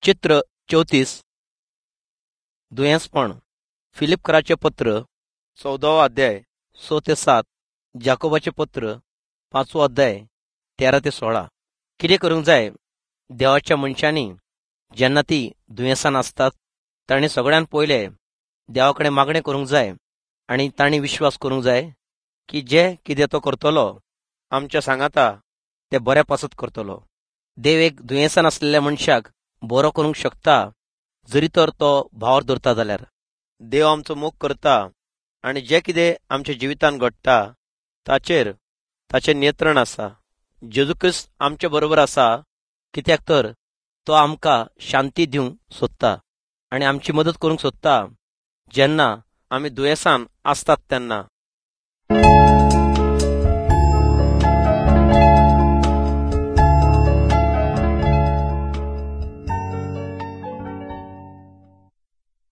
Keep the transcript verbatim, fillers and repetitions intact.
चित्र चौतीस दुयेंसपण फिलिपकराचें पत्र चौदावो अध्याय स ते सात, जाकोबाचें पत्र पांचवो अध्याय तेरा ते सोळा. कितें करूंक जाय देवाच्या मनशांनी जेन्ना ती दुयेंसान आसतात तांणी सगळ्यान पयले देवा कडेन मागणें करूंक जाय आनी तांणी विश्वास करूंक जाय की जे कितें तो करतलो आमच्या सांगाता ते बऱ्या पासत करतलो. देव एक दुयेंसान आसलेल्या मनशाक बरो करूंक शकता जरी तर तो भावर धरता जाल्यार. देव आमचो मोग करता आनी जे कितें आमच्या जिवितांत घडटा ताचेर ताचें नियंत्रण आसा. जेजू क्रिस्त आमचे बरोबर आसा कित्याक तर तो आमकां शांती दिवंक सोदता आनी आमची मदत करूंक सोदता जेन्ना आमी दुयेंसान आसतात तेन्ना.